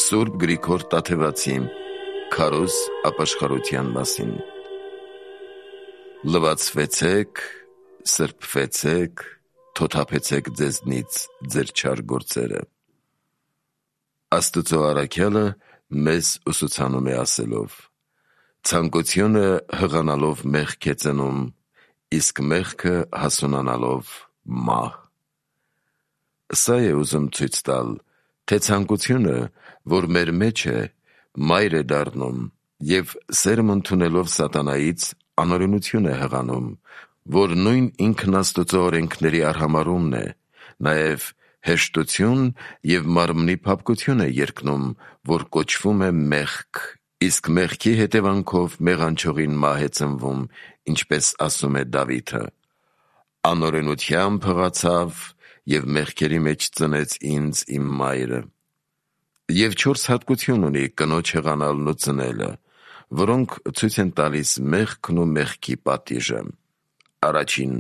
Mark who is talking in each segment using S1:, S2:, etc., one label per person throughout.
S1: Սուրբ Գրիգոր Տաթևացի Քարոզ ապաշխարության մասին։ Լվացվեցեք, սրբվեցեք, թոթափեցեք ձեզնից ձեր չար գործերը։ Աստծո առաքյալը մեզ ուսուցանում է ասելով. ցանկությունը հղանալով մեղք է ծնում, իսկ մեղքը հասունանալով մահ։ Սա է ուզում ցույց տալ, թե ցանկությունը, որ մեր մեջ է, մայր է դառնում և սերմ ընդունելով սատանայից անօրենություն է հղանում, որ նույն ինքն Աստծո օրենքների արհամարհումն է, նաև հեշտություն և մարմնի փափկություն է երկնում, որ կոչվում է մեղք, իսկ մեղքի հետևանքով մեղանչողին մահ է ծնվում, ինչպես ասում է Դավիթը. «Անօրենությամբ հղացավ և մեղքերի մեջ ծնեց ինձ իմ մայրը»։ Եվ 4 հատկություն ունի կնոջ հղանալն ու ծնելը, որոնք ցույց են տալիս մեղքն ու մեղքի պատիժը։ Առաջին.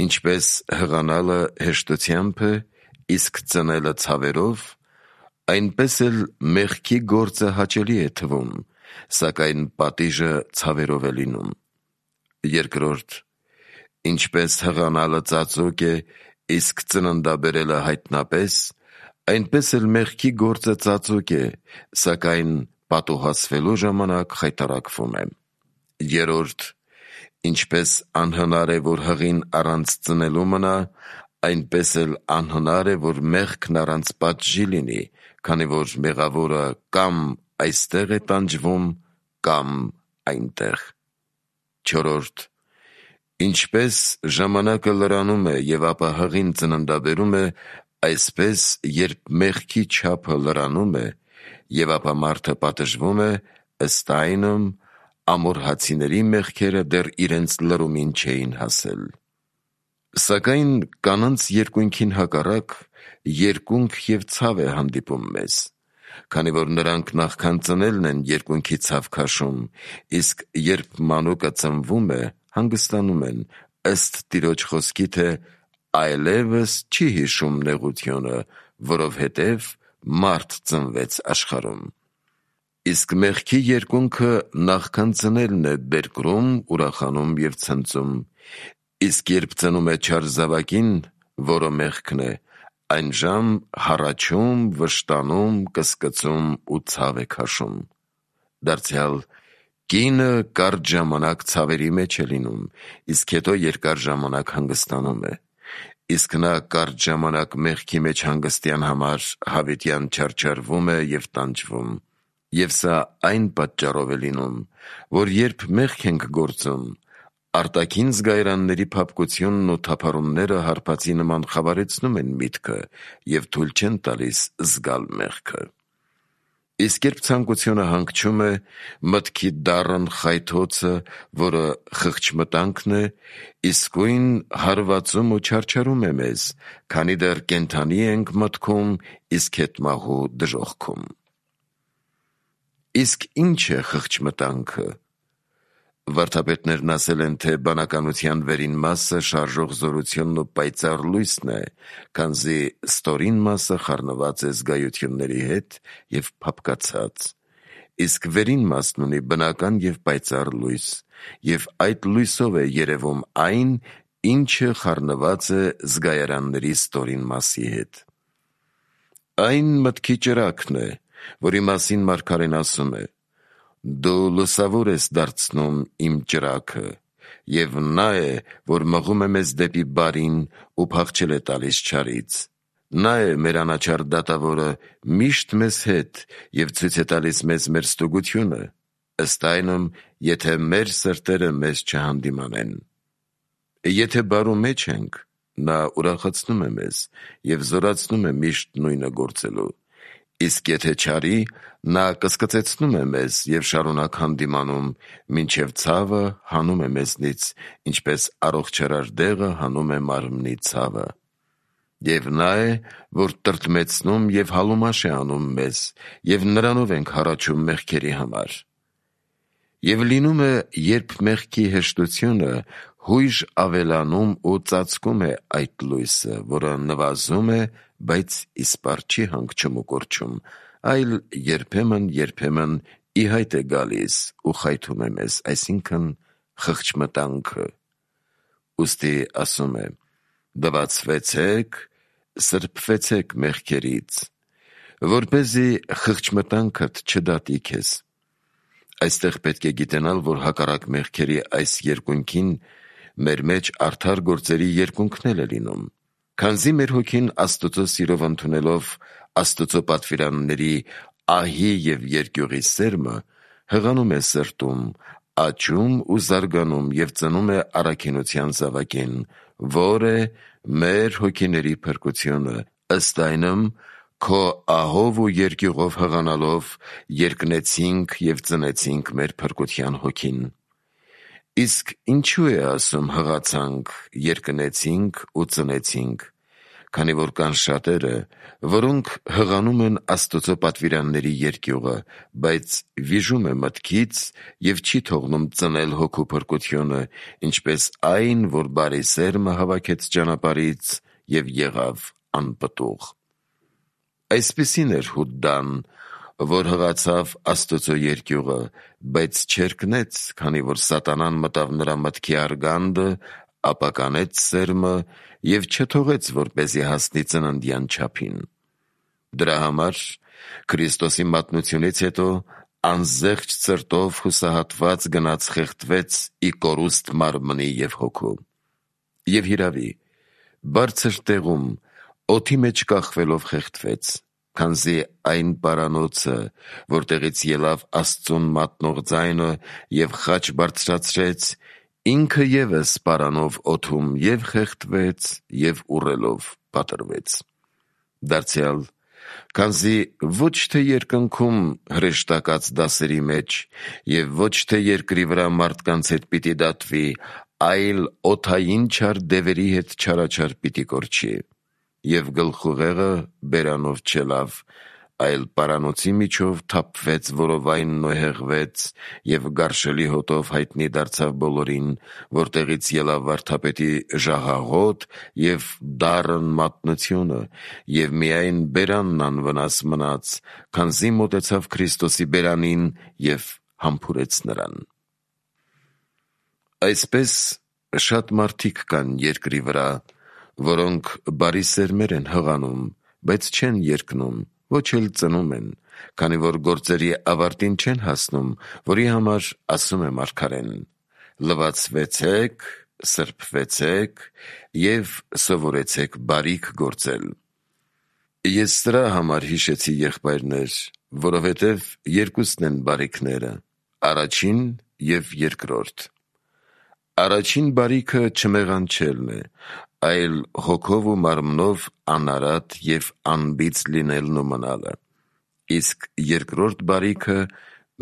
S1: ինչպես հղանալը հեշտությամբ է, իսկ ծնելը ցավերով, այնպես էլ մեղքի գործը հաճելի է թվում, սակայն պատիժը ցավերով է լինում։ Երկրորդ. ինչպես հղանալը ծածուկ է, իսկ ծննդաբերելը հայտնապես, այնպես էլ մեղքի գործը ծածուկ է, սակայն պատուհասվելու ժամանակ խայտառակվում է։ Երրորդ. ինչպես անհնար է, որ հղին առանց ծնելու մնա, այնպես էլ անհնար է, որ մեղքն առանց պատժի լինի, քանի որ մեղավորը կամ այստեղ է տանջվում, կամ այնտեղ։ Չորրորդ. ինչպես ժամանակը լրանում է և ապա հղին ծննդաբերում է, այսպես երբ մեղքի չափը լրանում է, և ապա մարդը պատժվում է, ըստ այնմ, ամորհացիների մեղքերը դեռ իրենց լրումին չէին հասել։ Սակայն կանանց երկունքին հակառակ, երկունք և ցավ է հանդիպում մեզ, քանի որ նրանք նախքան ծնելն են երկունքի ցավ քաշում, իսկ երբ մանուկը ծնվում է, հանգստանում են, ըստ Տիրոջ խոսքի, թե «այլևս չի հիշում նեղությունը, որովհետև մարդ ծնվեց աշխարհում»։ Իսկ մեղքի երկունքը նախքան ծնելն է բերկրում, ուրախանում և ցնծում, իսկ երբ ծնում է չար զավակին, որը մեղքն է, այնժամ հառաչում, վշտանում, կսկծում ու ցավ է քաշում։ Դարձյալ կինը կարճ ժամանակ ցավերի մեջ է լինում, իսկ հետո երկար ժամանակ հանգստանում է, իսկ նա կարճ ժամանակ մեղքի մեջ հանգստյան համար հավիտյան չարչարվում է և տանջվում։ Եվ սա այն պատճառով է լինում, որ երբ մեղք ենք գործում, արտաքին զգայարանների փափկությունն ու թափառումները հարբածի նման խավարեցնում են միտքը և թույլ չեն տալիս զգալ մեղքը։ Իսկ երբ ցանկությունը հանգչում է, մտքի դառն խայթոցը, որը խղճմտանքն է, իսկույն հարվածում ու չարչարում է մեզ, քանի դեռ կենդանի ենք մտքում, իսկ հետմահու դժոխքում։ Իսկ ի՞նչ է խղճմտանքը։ Վարդապետներն ասել են, թե բանականության վերին մասը շարժող զորությունն ու պայծառ լույսն է, քանզի ստորին մասը խառնված է զգայությունների հետ և փափկացած, իսկ վերին մասն ունի բնական և պայծառ լույս, և այդ լույսով է երևում այն, ինչը խառնված է զգայարանների ստորին մասի հետ։ Այն մտքի ճրագն է, որի մասին մարգարեն ասում է. «Դու լուսավոր ես դարձնում իմ ճրագը», և նա է, որ մղում է մեզ դեպի բարին ու փախչել է տալիս չարից։ Նա է մեր անաչառ դատավորը միշտ մեզ հետ և ցույց է տալիս մեզ մեր ստուգությունը, ըստ այնմ, եթե մեր սրտերը մեզ չհանդիմանեն։ Եթե բարու մեջ ենք, նա ուրախացնում է մեզ և զորացնում է միշտ նույնը գործելու, իսկ եթե չարի, նա կսկծեցնում է մեզ և շարունակ հանդիմանում, մինչև ցավը հանում է մեզնից, ինչպես առողջարար դեղը հանում է մարմնի ցավը։ Եվ նա է, որ տրտմեցնում և հալումաշ է անում մեզ, և նրանով ենք հառաչում մեղքերի համար։ Եվ լինում է, երբ մեղքի հեշտությունը հույժ ավելանում ու ծածկում է այդ լույսը, որը նվազում է, բայց իսպառ չի հանգչում ու կորչում, այլ երբեմն ի հայտ է գալիս ու խայթում է մեզ, այսինքն խղճմտանքը։ Ուստի ասում է. «Դվացվեցեք, սրբվեցեք մեղքերից, որպեսզի խղճմտանքդ չդատի քեզ»։ Այստեղ պետք է գիտենալ, որ հակառակ մեղքերի այս երկունքին մեր մեջ արդար գործերի երկունքն էլ է լինում։ Քանզի մեր հոգին Աստծո սիրով ընդունելով Աստծո պատվիրանների ահի և երկյուղի սերմը, հղանում է սրտում, աճում ու զարգանում և ծնում է առաքինության զավակին, որ է մեր հոգիների փրկությունը, ըստ այնմ, քո ահով ու երկյուղով հղանալով երկնեցինք և ծնեցինք մեր փրկության հոգին։ Իսկ ինչու է ասում հղացանք, երկնեցինք ու ծնեցինք, քանի որ կան շատերը, որոնք հղանում են Աստծո պատվիրանների երկյուղը, բայց վիժում է մտքից և չի թողնում ծնել հոգու փրկությունը, ինչպես այն, որ բարի սերմը հավաքեց ճանապարհից և եղավ անպտուղ։ Այսպիսին էր Հուդդան, որ հղացավ Աստծո երկյուղը, բայց չերկնեց, քանի որ սատանան մտավ նրա մտքի արգանդը, ապականեց սերմը և չթողեց, որպեսզի հասնի ծննդյան չափին։ Դրա համար Քրիստոսի մատնությունից հետո անզեղչ սրտով հուսահատված գնաց խեղդվեց ի կորուստ մարմնի և հոգու։ Եվ հիրավի, բարձր տեղում օդի մեջ կախվելով խեղդվեց, քանզի այն պարանոցը, որտեղից ելավ Աստծուն մատնող ձայնը և խաչ բարձրացրեց, ինքը ևս պարանով օդում և խեղդվեց և ուռելով պատռվեց։ Դարձյալ, քանզի ոչ թե երկնքում հրեշտակած դասերի մեջ և ոչ թե երկրի վրա մարդկանց հետ պիտի դատվի, այլ օդային չար դևերի հետ չարաչար պիտի կորչի։ Եվ գլխուղեղը բերանով չելավ, այլ պարանոցի միջով թափվեց որովայնն ու հեղվեց և գարշելի հոտով հայտնի դարձավ բոլորին, որտեղից ելավ վարդապետի ժահաղոտ և դառն մատնությունը, և միայն բերանն անվնաս մնաց, քանզի մոտեցավ Քրիստոսի բերանին և համբուրեց նրան։ Այսպես շատ մարդիկ կան երկրի վրա, որոնք բարի սերմեր են հղանում, բայց չեն երկնում, ոչ էլ ծնում են, քանի որ գործերի ավարտին չեն հասնում, որի համար ասում է մարգարեն. «Լվացվեցեք, սրբվեցեք և սովորեցեք բարիք գործել»։ Ես սրա համար հիշեցի, եղբայրներ, որովհետև երկուսն են բարիքները՝ առաջին և երկրորդ։ Առաջին բարիքը չմեղանչելն է, այլ հոգով ու մարմնով անարատ և անբիծ լինելն ու մնալը։ Իսկ երկրորդ բարիքը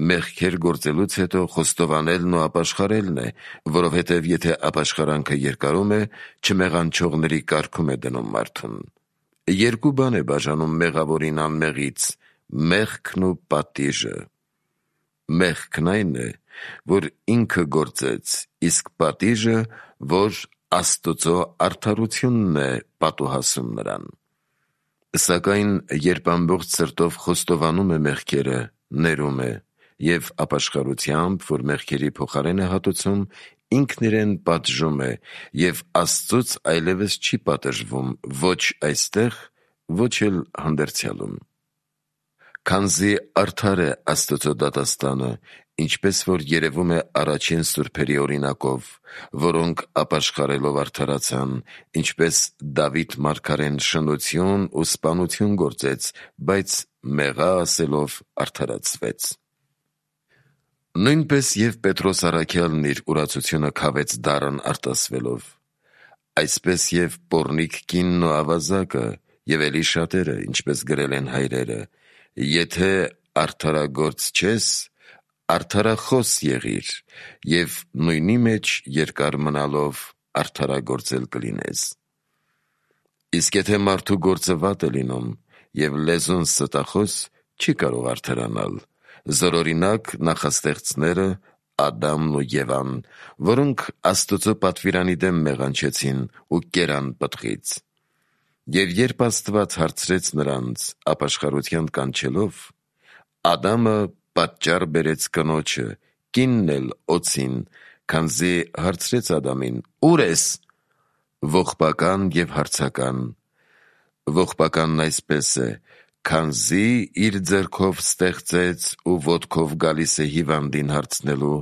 S1: մեղքեր գործելուց հետո խոստովանելն ու ապաշխարելն է, որովհետև եթե ապաշխարանքը երկարում է, չմեղանչողների կարգում է դնում մարդուն։ Երկու բան է բաժանում մեղավորին անմեղից՝ մեղքն ու պատիժը։ Մեղքն այն է, որ ինքը գործեց, իսկ պատիժը, որ Աստծո արդարությունն է պատուհասում նրան։ Սակայն երբ ամբողջ սրտով խոստովանում է մեղքերը, ներում է և ապաշխարությամբ, որ մեղքերի փոխարեն է հատուցում, ինքն իրեն պատժում է և Աստծուց այլևս չի պատժվում ոչ այստեղ, ոչ էլ հանդերձյալում։ Քանզի արդար է Աստծո դատաստանը, ինչպես որ երևում է առաջին սուրբերի օրինակով, որոնք ապաշխարելով արդարացան, ինչպես Դավիթ մարգարեն շնություն ու սպանություն գործեց, բայց մեղա ասելով արդարացվեց։ Նույնպես և Պետրոս առաքյալն իր ուրացությունը քավեց դառն արտասվելով։ Այսպես և պոռնիկ կինն ու ավազակը և էլի շատերը, ինչպես գրել են հայրերը, եթե արդարագործ չես, արդարախոս եղիր և նույնի մեջ երկար մնալով արդարագործ էլ կլինես։ Իսկ եթե մարդու գործը վատ է լինում և լեզուն ստախոս, չի կարող արդարանալ, զորօրինակ նախաստեղծները Ադամն ու Եվան, որոնք Աստծո պատվիրանի դեմ մեղանչեցին ու կերան պտղից։ Եվ երբ Աստված հարցրեց նրանց ապաշխարության կանչելով, Ադամը պատճառ բերեց կնոջը, կինն էլ օձին, քանզի հարցրեց Ադամին. «Ո՞ւր ես»։ Ողբական և հարցական։ Ողբականն այսպես է, քանզի իր ձեռքով ստեղծեց ու ոտքով գալիս է հիվանդին հարցնելու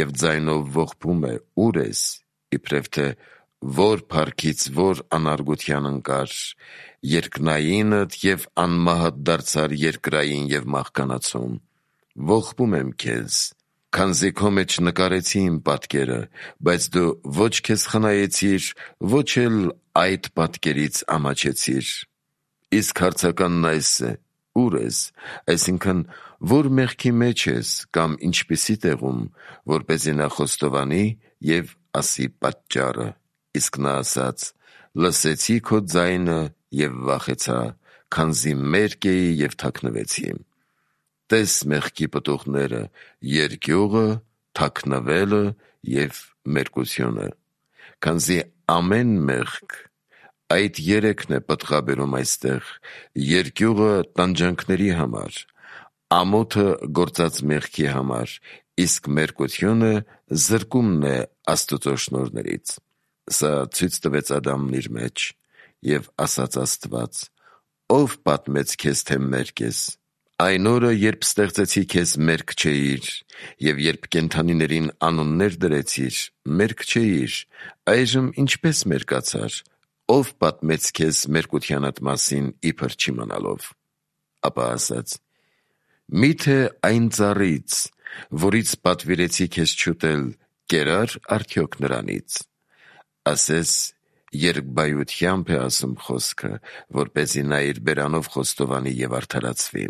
S1: և ձայնով ողբում է. «Ո՞ւր ես», իբրև թե որ փառքից որ անարգության ընկար, երկնայինդ և անմահդ դարձար երկրային և մահկանացուն։ Ողբում եմ քեզ, քանզի քո մեջ նկարեցի իմ պատկերը, բայց դու ոչ քեզ խնայեցիր, ոչ էլ այդ պատկերից ամաչեցիր։ Իսկ հարցականն այս է. «Ո՞ւր ես», այսինքն որ մեղքի մեջ ես կամ ինչպիսի տեղում, որպեսզի նա խոստովանի և ասի պատճառը։ Իսկ նա ասաց. «Լսեցի քո ձայնը և վախեցա, քանզի մերկ էի և թաքնվեցի»։ Տես մեղքի պտուղները՝ երկյուղը, թաքնվելը և մերկությունը։ Քանզի ամեն մեղք, այդ երեքն է պտղաբերում այստեղ, երկյուղը տանջանքների համար, ամոթը գործած մեղքի համար, իսկ մերկությունը զրկումն է Աստծո շնորհներից։ Սա ցույց տվեց Ադամն իր մեջ, և ասաց Աստված. «Ո՞վ պատմեց քեզ, թե մերկ ես։ Այն օրը, երբ ստեղծեցի քեզ, մերկ չէիր, և երբ կենդանիներին անուններ դրեցիր, մերկ չէիր, այժմ ինչպե՞ս մերկացար։ Ո՞վ պատմեց քեզ մերկությանդ մասին, իբր չիմանալով»։ Ապա ասաց. «Մի՞թե այն ծառից, որից պատվիրեցի քեզ չուտել, կերա՞ր արդյոք նրանից»։ Ասես երկբայությամբ է ասում խոսքը, որպեսզի նա իր բերանով խոստովանի և արդարացվի։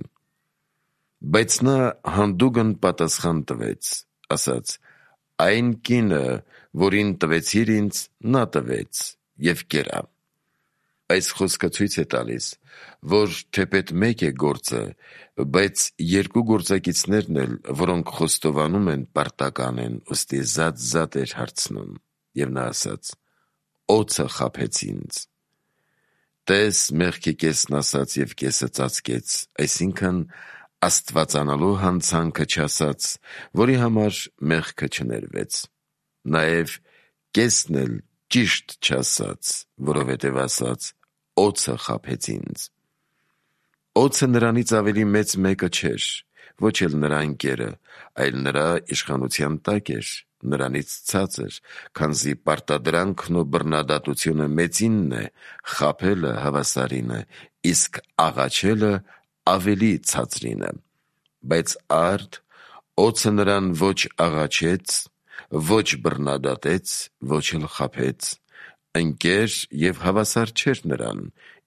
S1: Բայց նա հանդուգն պատասխան տվեց, ասաց. «Այն կինը, որին տվեցիր ինձ, նա տվեց և կերա»։ Այս խոսքը ցույց է տալիս, որ թեպետ մեկ է գործը, բայց երկու գործակիցներն էլ, որոնք խոստովանում են, պարտական են, ուստի զատ էր հարցնում։ Եվ նա ասաց. «Օձը խաբեց ինձ»։ Տես մեղքի կեսն ասաց և կեսը ծածկեց, այսինքն աստվածանալու հանցանքը չասաց, որի համար մեղքը չներվեց։ Նաև կեսն էլ ճիշտ չասաց, որովհետև ասաց. «Օձը խաբեց ինձ»։ Օձը նրանից ավելի մեծ մեկը չէր, ոչ էլ նրա ընկերը, այլ նրա իշխանության տակ էր, նրանից ցածր, քանզի պարտադրանքն ու բռնադատությունը մեծինն է, խաբելը հավասարինը, իսկ աղաչելը ավելի ցածրինը։ Բայց արդ օձը նրան ոչ աղաչեց, ոչ բռնադատեց, ոչ էլ խաբեց։ Ընկեր և հավասար չէր նրան,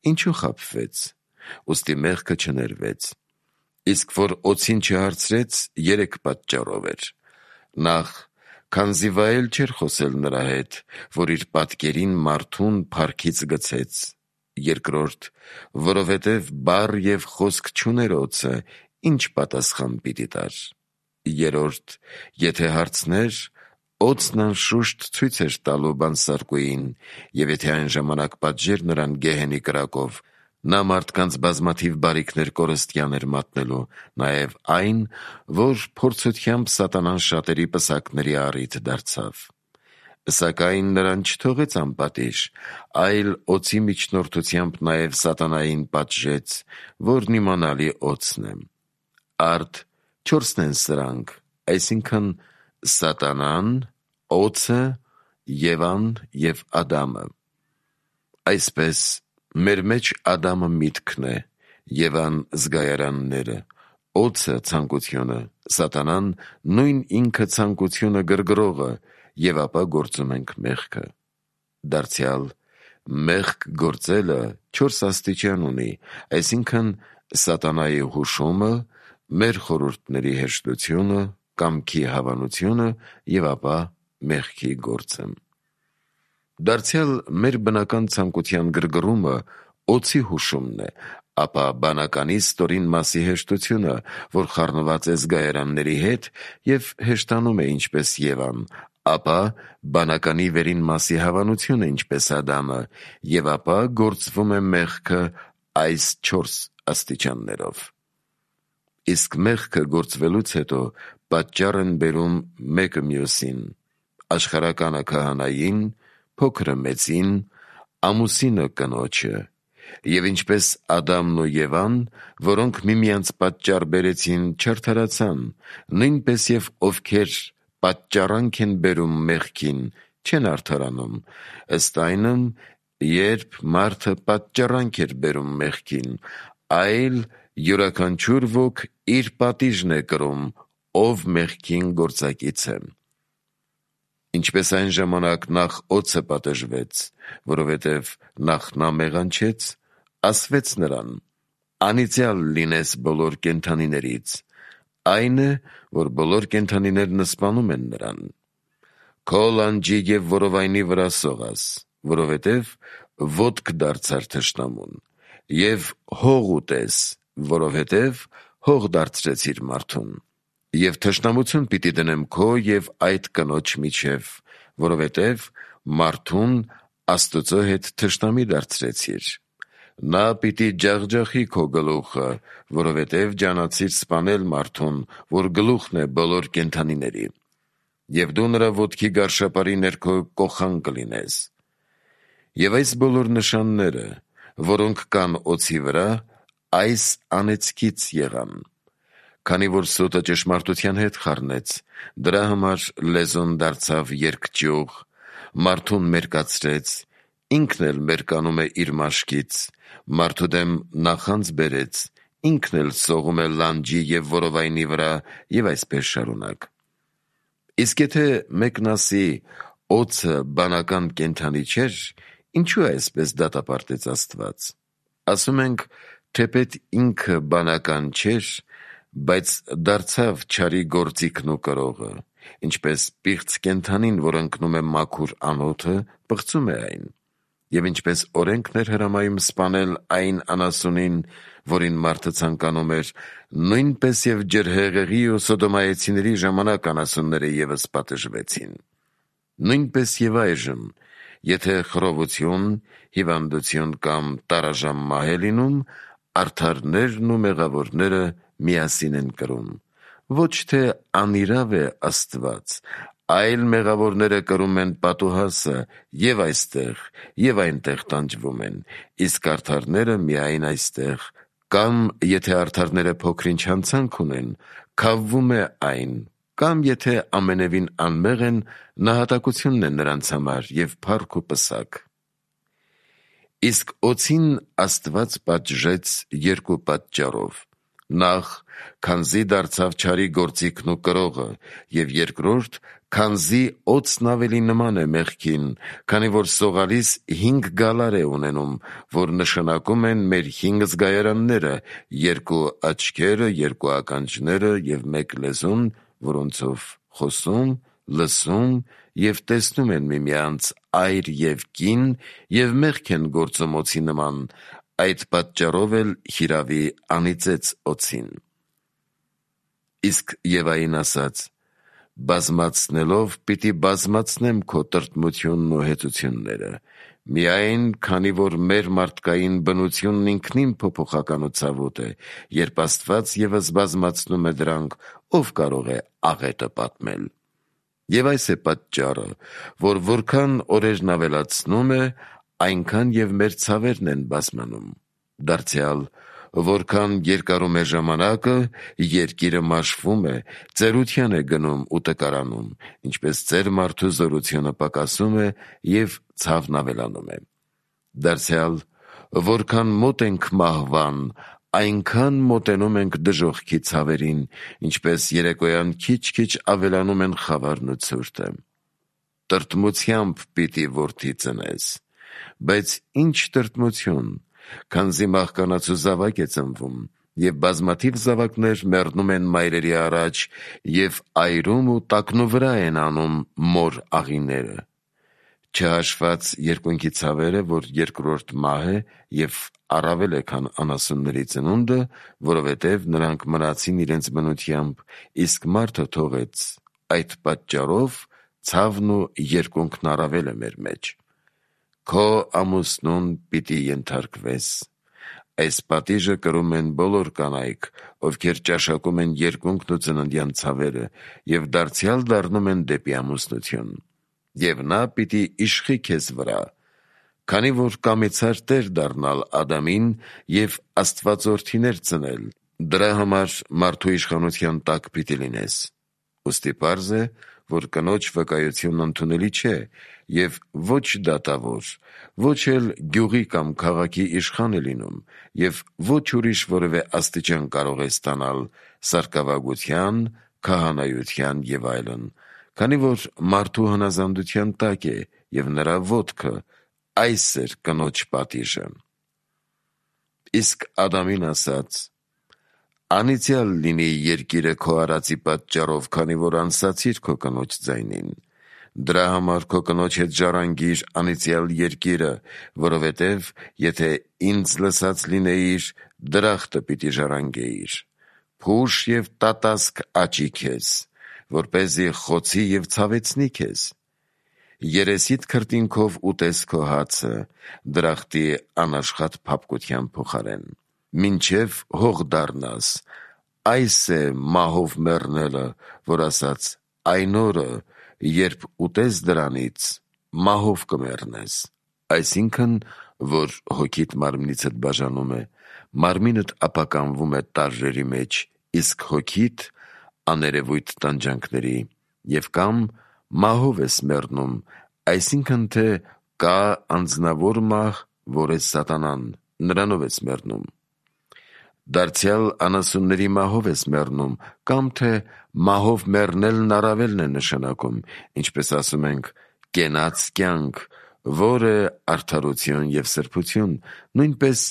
S1: ինչու խաբվեց։ Ուստի մեղքը չներվեց։ Իսկ որ օձին չհարցրեց, երեք պատճառով էր. Նախ, քանզի վայել չէր խոսել նրա հետ, որ իր պատկերին մարդուն փառքից գցեց։ Երկրորդ, որովհետև բառ և խոսք չուներ օձը, ինչ պատասխան պիտի տար։ Երրորդ, եթե հարցներ, օձն անշուշտ ցույց էր տալու բանսարկուին, և եթե այն ժամանակ պատժեր նրան գեհենի կրակով, նա մարդկանց բազմաթիվ բարիքներ կորստյան էր մատնելու, նաև այն, որ փորձությամբ սատանան շատերի պսակների առիթ դարձավ։ Սակայն նրան չթողեց անպատիժ, այլ օձի միջնորդությամբ նաև սատանային պատժեց, որն իմանալի օձն է։ Արդ չորսն են սրանք, այսինքն սատանան, օձը, Եվան և Ադամը։ Այսպես, մեր մեջ Ադամը միտքն է, Եվան զգայարանները, օձը ցանկությունը, սատանան նույն ինքը ցանկությունը գրգռողը, և ապա գործում ենք մեղքը։ Դարձյալ, մեղք գործելը 4 աստիճան ունի, այսինքն սատանայի հուշումը, մեր խորհուրդների հեշտությունը, կամքի հավանությունը և ապա մեղքի գործը։ Դարձյալ մեր բնական ցանկության գրգռումը օձի հուշումն է, ապա բանականի ստորին մասի հեշտությունը, որ խառնված է զգայարանների հետ և հեշտանում է ինչպես Եվան, ապա բանականի վերին մասի հավանությունը ինչպես Ադամը, և ապա գործվում է մեղքը այս 4 աստիճաններով։ Իսկ մեղքը գործվելուց հետո պատճառ են բերում մեկը մյուսին, աշխարհականը քահանային, փոքրը մեծին, ամուսինը կնոջը, և ինչպես Ադամն ու Եվան, որոնք միմյանց պատճառ բերեցին, չարդարացան, նույնպես և ովքեր պատճառանք են բերում մեղքին, չեն արդարանում, ըստ այնմ, երբ մարդը պատճառանք էր բերում մեղքին, այլ յուրաքանչյուր ոք իր պատիժն է կրում, ով մեղքին գործակից է։ Ինչպես այն ժամանակ նախ օձը պատժվեց, որովհետև նախ նա մեղանչեց, ասվեց նրան. անիծյալ լինես բոլոր կենդանիներից, այն է, որ բոլոր կենդանիներն սպանում են նրան։ Քո լանջի և որովայնի վրա սողաս, որովհետև ոտք դարձար թշնամուն, և հող ուտես, որովհետև հող դարձրեցիր մարդուն, և թշնամություն պիտի դնեմ քո և այդ կնոջ միջև, որովհետև մարդուն Աստուծո հետ թշնամի դարձրեցիր։ Նա պիտի ջախջախի քո գլուխը, որովհետև ջանացիր սպանել մարդուն, որ գլուխն է բոլոր կենդանիների, և դու նրա ոտքի գարշապարի ներքո կոխան կլինես։ Եվ այս բոլոր նշանները, որոնք կան օձի վրա, այս անեծքից եղան։ Քանի որ սուտը ճշմարտության հետ խառնեց, դրա համար լեզուն դարձավ երկճյուղ, մարդուն մերկացրեց, ինքն էլ մերկանում է իր մաշկից, մարդու դեմ նախանձ բերեց, ինքն էլ սողում է լանջի և որովայնի վրա, և այսպես շարունակ։ Իսկ եթե մեկն ասի, օձը բանական կենդանի չէր, ինչու այսպես դատապարտեց Աստված։ Ասում ենք, թեպետ ինքը բանական չէր, բայց դարձավ չարի գործիքն ու կրողը, ինչպես պիղծ կենդանին, որ ընկնում է մաքուր անոթը, պղծում է այն, և ինչպես օրենքն էր հրամայում սպանել այն անասունին, որին մարդը ցանկանում էր, նույնպես և ջրհեղեղի ու սոդոմայեցիների ժամանակ անասունները ևս պատժվեցին։ Նույնպես և այժմ, եթե խռովություն, հիվանդություն կամ տարաժամ մահ է լինում, արդարներն ու մեղավորները միասին են կրում։ Ոչ թե անիրավ է Աստված, այլ մեղավորները կրում են պատուհասը և այստեղ, և այնտեղ տանջվում են, իսկ արդարները միայն այստեղ, կամ եթե արդարները փոքր-ինչ հանցանք ունեն, քավվում է այն, կամ եթե ամենևին անմեղ են, նահատակությունն է նրանց համար և փառք ու պսակ։ Իսկ օձին Աստված պատժեց երկու պատճառով. նախ, քանզի դարձավ չարի գործիքն ու կրողը, և երկրորդ, քանզի օձն ավելի նման է մեղքին, քանի որ սողալիս 5 գալար է ունենում, որ նշանակում են մեր 5 զգայարանները, 2 աչքերը, 2 ականջները և 1 լեզուն, որոնցով խոսում, լսում և տեսնում են միմյանց այր և կին և մեղք են գործում օձի նման, այդ պատճառով էլ հիրավի անիծեց օձին։ Իսկ Եվային ասաց. բազմացնելով պիտի բազմացնեմ քո տրտմությունն ու հեծությունները, միայն քանի որ մեր մարդկային բնությունն ինքնին փոփոխական ու ցավոտ է, երբ Աստված ևս բազմացնում է դրանք, ով կարող է աղետը պատմել։ Եվ այս է պատճառը, որ որքան օրերն ավելացնում է, այնքան և մեր ցավերն են բազմանում։ Դարձյալ, որքան երկարում է ժամանակը, երկիրը մաշվում է, ծերության է գնում ու տկարանում, ինչպես ծեր մարդու զորությունը պակասում է և ցավն ավելանում է։ Դարձյալ, որքան մոտ ենք մահվան, այնքան մոտենում ենք դժոխքի ցավերին, ինչպես երեկոյան քիչ-քիչ ավելանում են խավարն ու ցուրտը։ Տրտմությամբ պիտի որդի ծնես, բայց ինչ տրտմություն, քանզի մահկանացու զավակ է ծնվում, և բազմաթիվ զավակներ մեռնում են մայրերի առաջ և այրում ու տակնու վրա են անում մոր աղիները։ Չհաշված երկունքի ցավերը, որ երկրորդ մահ է և առավել է, քան անասունների ծնունդը, որովհետև նրանք մնացին իրենց բնությամբ, իսկ մարդը թողեց, այդ պատճառով ցավն ու երկունքն առավել է մեր մեջ։ Քո ամուսնուն պիտի ենթարկվես։ Այս պատիժը կրում են բոլոր կանայք, ովքեր ճաշակում են երկունքն ու ծննդյան ցավերը եւ դարձյալ դառնում են դեպի ամուսնություն։ Եվ նա պիտի իշխի քեզ վրա, քանի որ կամեցար տեր դառնալ Ադամին եւ աստվածորդիներ ծնել, դրա համար մարդու իշխանության տակ պիտի լինես։ Ուստի պարզ է, որ կնոջ վկայությունն ընդունելի չէ եւ ոչ դատավոր, ոչ էլ գյուղի կամ քաղաքի իշխան է լինում եւ ոչ ուրիշ որևէ աստիճան կարող է ստանալ սարկավագության, քահանայության եւ այլն, քանի որ մարդու հնազանդության տակ է եւ նրա ոտքը այս էր կնոջ պատիժը։ Իսկ Ադամին ասաց. «Անիծյալ լինի երկիրը քո արածի պատճառով, քանի որ անսացիր քո կնոջ ձայնին։ Դրա համար քո կնոջ հետ ժառանգիր անիծյալ երկիրը, որովհետև եթե ինձ լսած լինեիր, դրախտը պիտի ժառանգեիր։ Փուշ եւ տատասկ աճի քեզ, որպեսզի խոցի եւ ցավեցնի քեզ։ Երեսիդ քրտինքով ուտես քո հացը, դրախտի անաշխատ փափկության փոխարեն, մինչև հող դառնաս։ Այս է մահով մեռնելը, որ ասաց, այն օրը, երբ ուտես դրանից, մահով կմեռնես։ Այսինքն, որ հոգիդ մարմնիցդ բաժանում է, մարմինդ ապականվում է տարրերի մեջ, իսկ հոգիդ աներևույթ տանջանքների, եւ կամ մահով ես մեռնում, այսինքն թե կա անձնավոր մահ, որ է սատանան, նրանով ես մեռնում։ Դարձյալ անասունների մահով ես մեռնում, կամ թե մահով մեռնելն առավելն է նշանակում, ինչպես ասում ենք, կենաց կյանք, որ է արդարություն եւ սրբություն, նույնպես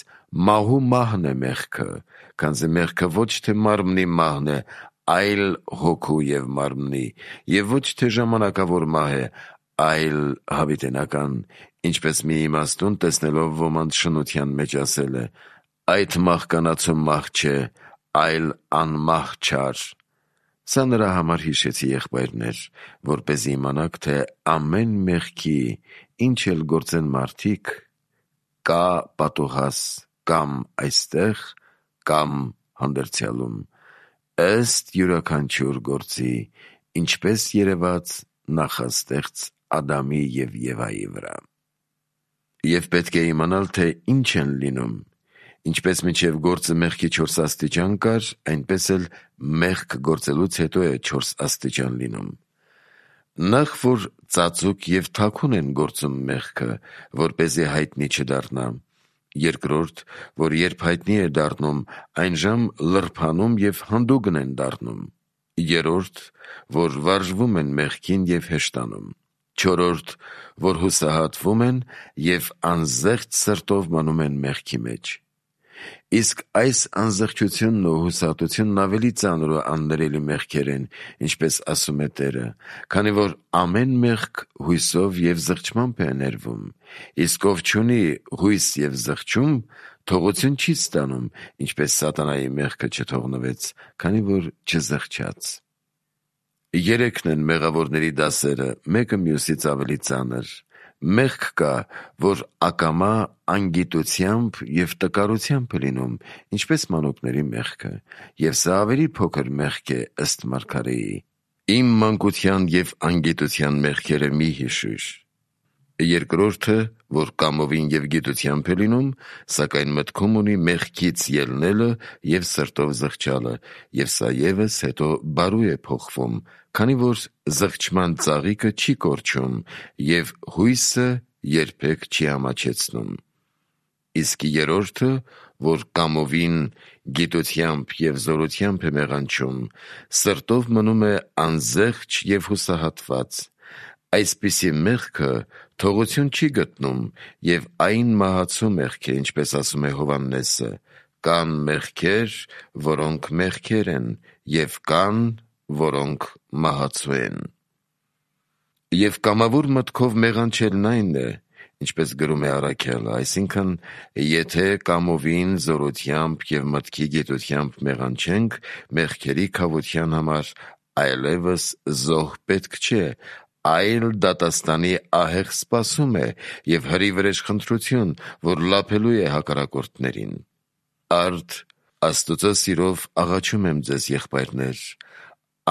S1: մահու մահն է մեղքը, քանզի մեղքը ոչ թե մարմնի մահն է, այլ հոգու եւ մարմնի, եւ ոչ թե ժամանակավոր մահ է, այլ հավիտենական, ինչպես մի իմաստուն տեսնելով ոմանց շնության մեջ ասել է. այդ մահկանացու մահ չէ, այլ անմահ չար։ Սա նրա համար հիշեցի, եղբայրներ, որպեսզի իմանաք, թե ամեն մեղքի, ինչ էլ գործեն մարդիկ, կա պատուհաս կամ այստեղ, կամ հանդերձյալում, ըստ յուրաքանչյուր գործի, ինչպես երևաց նախաստեղծ Ադամի եւ Եվայի վրա։ Եվ պետք է իմանալ, թե ինչ են լինում, ինչպես մինչև գործը մեղքի 4 աստիճան կար, այնպես էլ մեղք գործելուց հետո է 4 աստիճան լինում։ Նախ որ ծածուկ եւ թաքուն են գործում մեղքը, որպեսզի հայտնի չդառնա։ Երկրորդ, որ երբ հայտնի է դառնում, այնժամ լրփանում եւ հանդուգն են դառնում։ Երրորդ, որ վարժվում են մեղքին եւ հեշտանում։ Չորրորդ, որ հուսահատվում են եւ անզեղջ սրտով մնում են մեղքի մեջ։ Իսկ այս անզեղչությունն ու հուսահատությունն ավելի ծանր ու աններելի մեղքեր են, ինչպես ասում է Տերը, քանի որ ամեն մեղք հույսով եւ զղջմամբ է ներվում, իսկ ով չունի հույս եւ զղջում, թողություն չի ստանում, ինչպես սատանայի մեղքը չթողնվեց, քանի որ չզղջաց։ Երեքն են մեղավորների դասերը, մեկը մյուսից ավելի ծանր։ Մեղք կա, որ ակամա անգիտությամբ եւ տկարությամբ է լինում, ինչպես մանուկների մեղքը, եւ սա ավելի փոքր մեղք է ըստ Մարգարեի։ Իմ մանկության եւ անգիտության մեղքերը մի հիշիր։ Երկրորդը, որ կամովին եւ գիտությամբ է լինում, սակայն մտքում ունի մեղքից ելնելը եւ սրտով զղջալը, եւ սա եւս հետո բարու է փոխվում, քանի որ զղջման ծաղիկը չի կորչում եւ հույսը երբեք չի ամաչեցնում։ Իսկ երրորդը, որ կամովին գիտությամբ եւ զորությամբ է մեղանչում, սրտով մնում է անզեղջ եւ հուսահատված։ Այսպիսի մեղքը թողություն չի գտնում եւ այն մահացու մեղք է, ինչպես ասում է Հովհաննեսը. կան մեղքեր, որոնք մեղքեր են, եւ կան, որոնք մահացու են։ Եվ կամավոր մտքով մեղանչելն այն է, ինչպես գրում է Առաքյալը, այսինքն, եթե կամովին զորությամբ եւ մտքի գիտությամբ մեղանչենք, մեղքերի քավության համար այլևս զոհ պետք չէ, այլ դատաստանի ահեղ սպասում է և հրի-վրեժ խնդրություն, որ լափելու է հակառակորդներին։ Արդ Աստուծո սիրով աղաչում եմ ձեզ, եղբայրներ,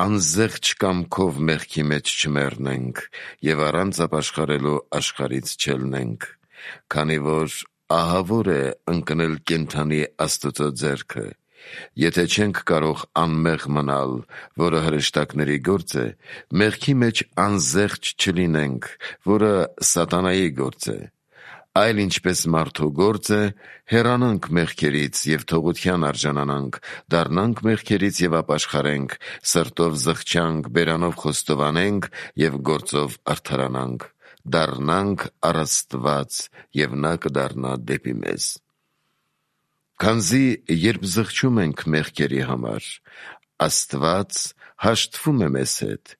S1: անզեղչ կամքով մեղքի մեջ չմեռնենք և առանց ապաշխարելու աշխարհից չելնենք, քանի որ ահավոր է ընկնել կենդանի Աստուծո ձեռքը։ Եթե չենք կարող անմեղ մնալ, որը հրեշտակների գործ է, մեղքի մեջ անզեղչ չլինենք, որը սատանայի գործ է, այլ ինչպես մարդու գործ է, հեռանանք մեղքերից և թողության արժանանանք, դառնանք մեղքերից և ապաշխարենք, սրտով զղջանք, բերանով խոստովանենք և գործով արդարանանք, դառնանք առ Աստված, և նա կդառնա դեպի մեզ։ Քանզի երբ զղջում ենք մեղքերի համար, Աստված հաշտվում է մեզ հետ,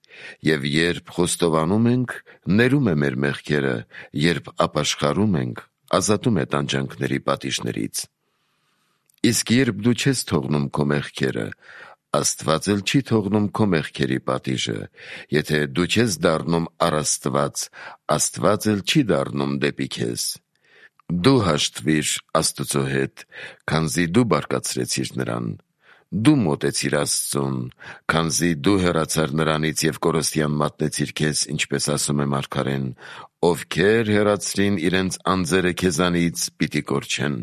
S1: և երբ խոստովանում ենք, ներում է մեր մեղքերը, երբ ապաշխարում ենք, ազատում է տանջանքների պատիժներից։ Իսկ երբ դու չես թողնում քո մեղքերը, Աստված էլ չի թողնում քո մեղքերի պատիժը, եթե դու չես դառնում առ Աստված, Աստված էլ չի դառնում դեպի քեզ։ Դու հաշտվիր Աստուծո հետ, քանզի դու բարկացրեցիր նրան։ Դու մոտեցիր Աստծուն, քանզի դու հեռացար նրանից և կորստյան մատնեցիր քեզ, ինչպես ասում է մարգարեն, ովքեր հեռացրին իրենց անձերը քեզանից, պիտի կորչեն։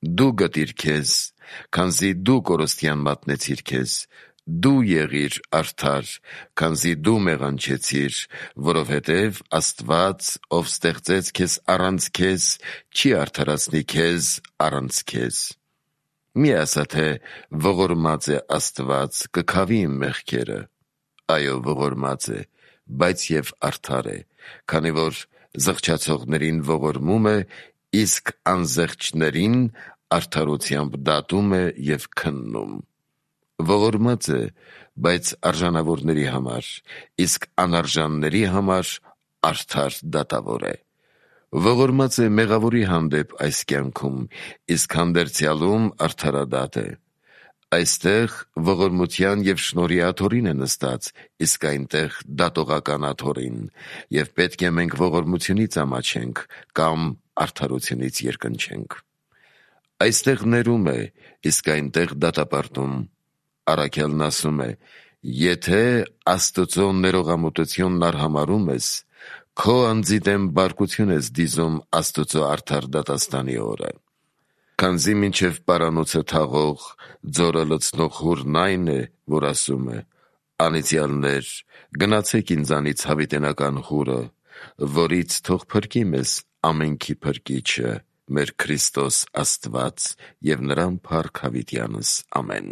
S1: Դու գտիր քեզ, քանզի դու կորստյան մատնեցիր քեզ, դու եղիր արդար, քանզի դու մեղանչեցիր, որովհետև Աստված, ով ստեղծեց քեզ առանց քեզ, չի արդարացնի քեզ առանց քեզ։ Մի ասա, թե ողորմած է Աստված, կքավի իմ մեղքերը։ Այո, ողորմած է, բայց և արդար է, քանի որ զղջացողներին ողորմում է, իսկ անզեղչներին արդարությամբ դատում է և քննում։ Ողորմած է, բայց արժանավորների համար, իսկ անարժանների համար արդար դատավոր է։ Ողորմած է մեղավորի հանդեպ այս կյանքում, իսկ հանդերձյալում արդարադատ է։ Այստեղ ողորմության և շնորհի աթոռին է նստած, իսկ այնտեղ դատողական աթոռին, և պետք է մենք ողորմությունից ամաչենք կամ արդարությունից երկնչենք։ Այստեղ ներում է, իսկ այնտեղ դատապարտում։ Առաքյալն ասում է. «Եթե Աստուծո ներողամտությունն արհամարհում ես, քո անձի դեմ բարկություն ես դիզում Աստուծո արդար դատաստանի օրը»։ Քանզի մինչև պարանոցը թաղող, ձորը լցնող հուրն այն է, որ ասում է. «Անիծյալներ, գնացեք ինձանից հավիտենական հուրը, որից թող փրկի մեզ ամենքի Փրկիչը, մեր Քրիստոս Աստված, և նրան փառք հավիտյանս։ Ամեն»։